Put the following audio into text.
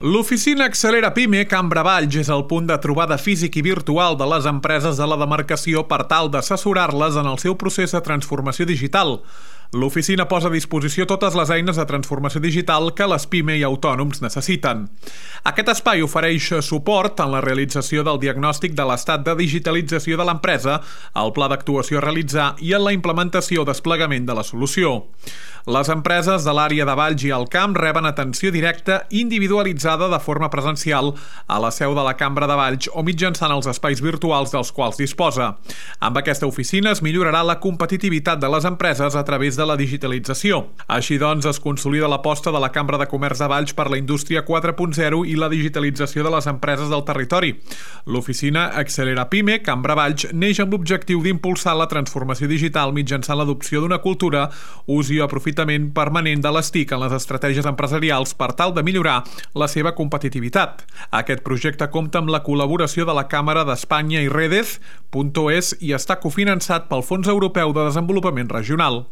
L'oficina Accelera Pime Cambra Valls és el punt de trobada físic i virtual de les empreses de la demarcació per tal d'assessorar-les en el seu procés de transformació digital. L'oficina posa a disposició totes les eines de transformació digital que les PIME i autònoms necessiten. Aquest espai ofereix suport en la realització del diagnòstic de l'estat de digitalització de l'empresa, el pla d'actuació a realitzar i en la implementació o desplegament de la solució. Les empreses de l'àrea de Valls i el Camp reben atenció directa individualitzada de forma presencial a la seu de la Cambra de Valls o mitjançant els espais virtuals dels quals disposa. Amb aquesta oficina es millorarà la competitivitat de les empreses a través de la digitalització. Així doncs, es consolida l'aposta de la Cambra de Comerç de Valls per la indústria 4.0 i la digitalització de les empreses del territori. L'oficina Accelera Pime Cambra Valls neix amb l'objectiu d'impulsar la transformació digital mitjançant l'adopció d'una cultura, ús i aprofitament permanent de les TIC en les estratègies empresarials per tal de millorar la seva competitivitat. Aquest projecte compta amb la col·laboració de la Càmera d'Espanya i Redez.es i està cofinançat pel Fons Europeu de Desenvolupament Regional.